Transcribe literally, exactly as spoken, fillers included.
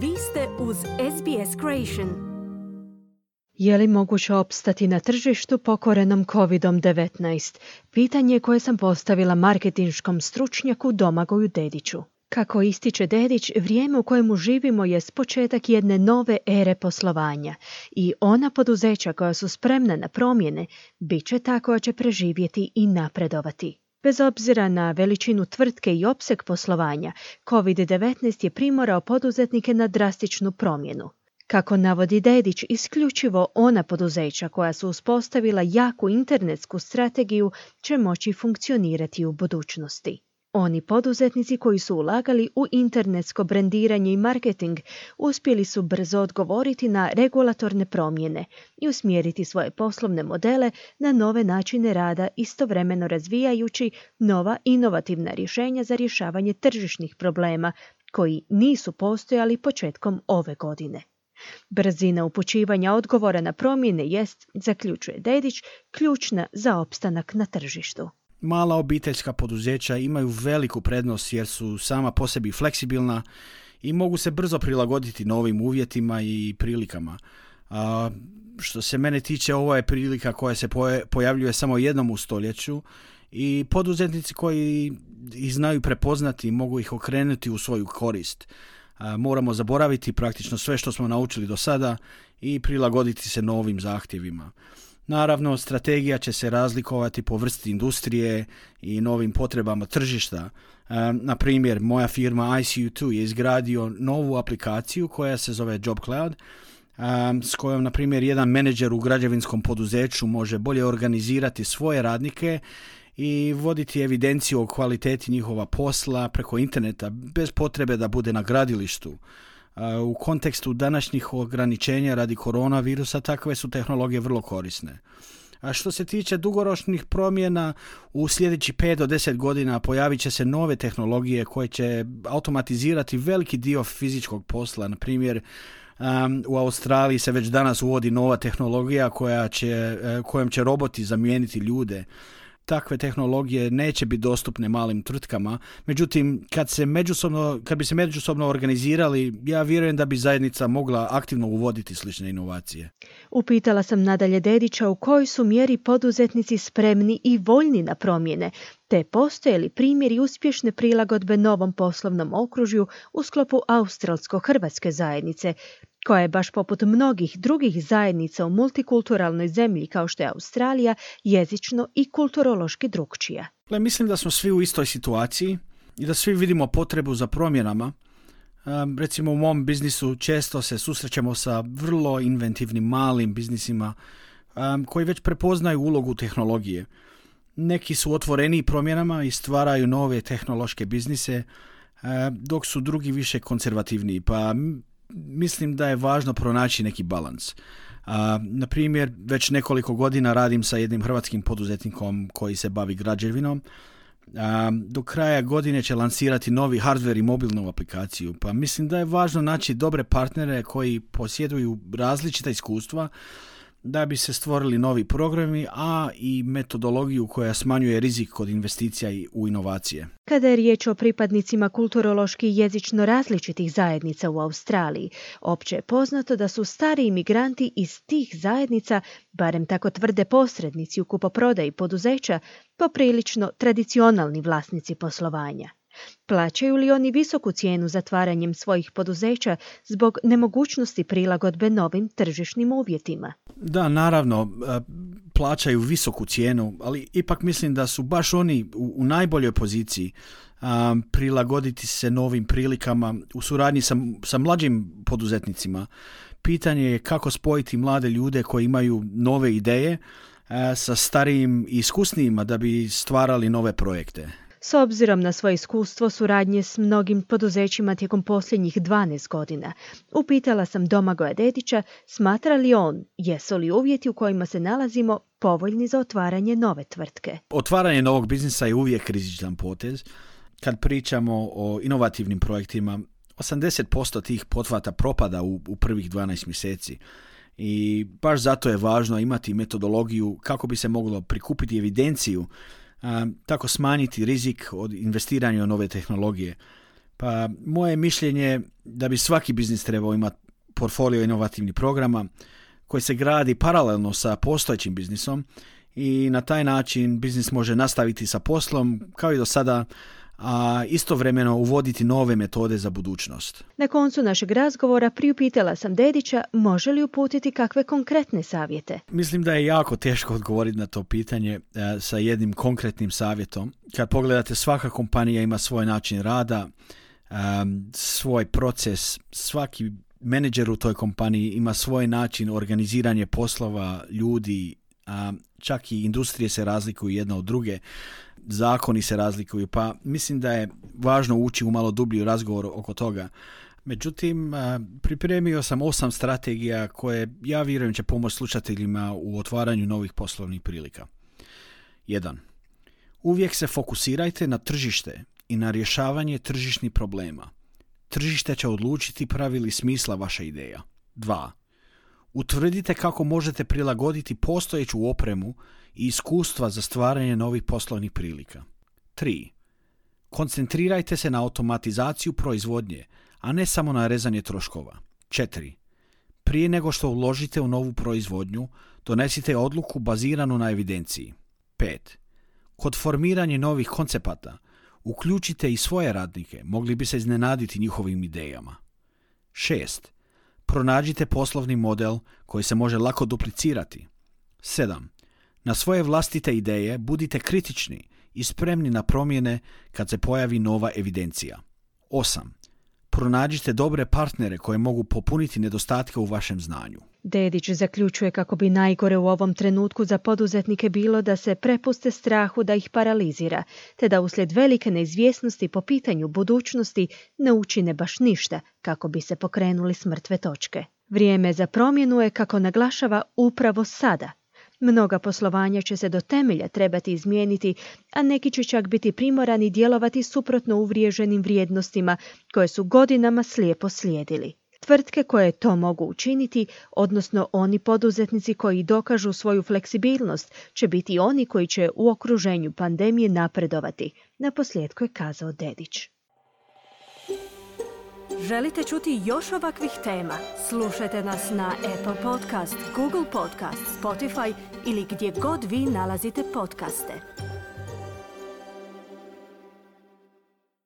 Vi ste uz S B S Creation. Je li moguće opstati na tržištu pokorenom kovid devetnaest? Pitanje koje sam postavila marketinškom stručnjaku Domagoju Dediću. Kako ističe Dedić, vrijeme u kojemu živimo je početak jedne nove ere poslovanja i ona poduzeća koja su spremna na promjene bit će ta koja će preživjeti i napredovati. Bez obzira na veličinu tvrtke i opseg poslovanja, kovid devetnaest je primorao poduzetnike na drastičnu promjenu. Kako navodi Dedić, isključivo ona poduzeća koja su uspostavila jaku internetsku strategiju će moći funkcionirati u budućnosti. Oni poduzetnici koji su ulagali u internetsko brendiranje i marketing uspjeli su brzo odgovoriti na regulatorne promjene i usmjeriti svoje poslovne modele na nove načine rada, istovremeno razvijajući nova inovativna rješenja za rješavanje tržišnih problema koji nisu postojali početkom ove godine. Brzina upućivanja odgovora na promjene jest, zaključuje Dedić, ključna za opstanak na tržištu. Mala obiteljska poduzeća imaju veliku prednost jer su sama po sebi fleksibilna i mogu se brzo prilagoditi novim uvjetima i prilikama. A, što se mene tiče, ovo je prilika koja se pojavljuje samo jednom u stoljeću i poduzetnici koji ih znaju prepoznati mogu ih okrenuti u svoju korist. A, moramo zaboraviti praktično sve što smo naučili do sada i prilagoditi se novim zahtjevima. Naravno, strategija će se razlikovati po vrsti industrije i novim potrebama tržišta. E, na primjer, moja firma I C U dva je izgradio novu aplikaciju koja se zove Job Cloud, e, s kojom, na primjer, jedan menadžer u građevinskom poduzeću može bolje organizirati svoje radnike i voditi evidenciju o kvaliteti njihova posla preko interneta bez potrebe da bude na gradilištu. U kontekstu današnjih ograničenja radi koronavirusa takve su tehnologije vrlo korisne. A što se tiče dugoročnih promjena, u sljedećih pet do deset godina pojavit će se nove tehnologije koje će automatizirati veliki dio fizičkog posla. Na primjer, um, u Australiji se već danas uvodi nova tehnologija koja će, kojom će roboti zamijeniti ljude. Takve tehnologije neće biti dostupne malim tvrtkama, međutim, kad, se međusobno, kad bi se međusobno organizirali, ja vjerujem da bi zajednica mogla aktivno uvoditi slične inovacije. Upitala sam nadalje Dedića u kojoj su mjeri poduzetnici spremni i voljni na promjene, te postoje li primjeri uspješne prilagodbe novom poslovnom okružju u sklopu australsko-hrvatske zajednice, koja je baš poput mnogih drugih zajednica u multikulturalnoj zemlji kao što je Australija jezično i kulturološki drukčija. Mislim da smo svi u istoj situaciji i da svi vidimo potrebu za promjenama. Um, recimo u mom biznisu često se susrećemo sa vrlo inventivnim malim biznisima um, koji već prepoznaju ulogu tehnologije. Neki su otvoreni promjenama i stvaraju nove tehnološke biznise, uh, dok su drugi više konzervativniji, pa mislim da je važno pronaći neki balans. Uh, na primjer, već nekoliko godina radim sa jednim hrvatskim poduzetnikom koji se bavi građevinom. Uh, do kraja godine će lansirati novi hardware i mobilnu aplikaciju, pa mislim da je važno naći dobre partnere koji posjeduju različita iskustva da bi se stvorili novi programi, a i metodologiju koja smanjuje rizik kod investicija u inovacije. Kada je riječ o pripadnicima kulturološki i jezično različitih zajednica u Australiji, opće je poznato da su stari imigranti iz tih zajednica, barem tako tvrde posrednici u kupoprodaji poduzeća, poprilično tradicionalni vlasnici poslovanja. Plaćaju li oni visoku cijenu zatvaranjem svojih poduzeća zbog nemogućnosti prilagodbe novim tržišnim uvjetima? Da, naravno, plaćaju visoku cijenu, ali ipak mislim da su baš oni u, u najboljoj poziciji um, prilagoditi se novim prilikama u suradnji sa, sa mlađim poduzetnicima. Pitanje je kako spojiti mlade ljude koji imaju nove ideje uh, sa starijim i iskusnijima da bi stvarali nove projekte. S obzirom na svoje iskustvo suradnje s mnogim poduzećima tijekom posljednjih dvanaest godina, upitala sam Domagoja Dedića smatra li on, jesu li uvjeti u kojima se nalazimo povoljni za otvaranje nove tvrtke. Otvaranje novog biznisa je uvijek rizičan potez. Kad pričamo o inovativnim projektima, osamdeset posto tih pothvata propada u, u prvih dvanaest mjeseci. I baš zato je važno imati metodologiju kako bi se moglo prikupiti evidenciju, a, tako smanjiti rizik od investiranja u nove tehnologije. Pa moje mišljenje je da bi svaki biznis trebao imati portfolio inovativnih programa koji se gradi paralelno sa postojećim biznisom i na taj način biznis može nastaviti sa poslom kao i do sada, a istovremeno uvoditi nove metode za budućnost. Na koncu našeg razgovora priupitala sam Dedića može li uputiti kakve konkretne savjete. Mislim da je jako teško odgovoriti na to pitanje e, sa jednim konkretnim savjetom. Kad pogledate, svaka kompanija ima svoj način rada, e, svoj proces, svaki menadžer u toj kompaniji ima svoj način organiziranja poslova, ljudi, a čak i industrije se razlikuju jedna od druge, zakoni se razlikuju, pa mislim da je važno ući u malo dublji razgovor oko toga. Međutim, pripremio sam osam strategija koje ja vjerujem će pomoći slušateljima u otvaranju novih poslovnih prilika. jedan. Uvijek se fokusirajte na tržište i na rješavanje tržišnih problema. Tržište će odlučiti pravi li smisla vaša ideja. dva. Utvrdite kako možete prilagoditi postojeću opremu i iskustva za stvaranje novih poslovnih prilika. tri. Koncentrirajte se na automatizaciju proizvodnje, a ne samo na rezanje troškova. četiri. Prije nego što uložite u novu proizvodnju, donesite odluku baziranu na evidenciji. pet. Kod formiranja novih koncepata, uključite i svoje radnike, mogli bi se iznenaditi njihovim idejama. šest. Pronađite poslovni model koji se može lako duplicirati. sedam. Na svoje vlastite ideje budite kritični i spremni na promjene kad se pojavi nova evidencija. osam. Pronađite dobre partnere koje mogu popuniti nedostatke u vašem znanju. Dedić zaključuje kako bi najgore u ovom trenutku za poduzetnike bilo da se prepuste strahu da ih paralizira, te da uslijed velike neizvjesnosti po pitanju budućnosti ne učine baš ništa kako bi se pokrenuli s mrtve točke. Vrijeme za promjenu je, kako naglašava, upravo sada. Mnoga poslovanja će se do temelja trebati izmijeniti, a neki će čak biti primorani djelovati suprotno uvriježenim vrijednostima koje su godinama slijepo slijedili. Tvrtke koje to mogu učiniti, odnosno oni poduzetnici koji dokažu svoju fleksibilnost, će biti oni koji će u okruženju pandemije napredovati, naposljetku je kazao Dedić. Želite čuti još ovakvih tema? Slušajte nas na Apple Podcast, Google Podcast, Spotify ili gdje god vi nalazite podcaste.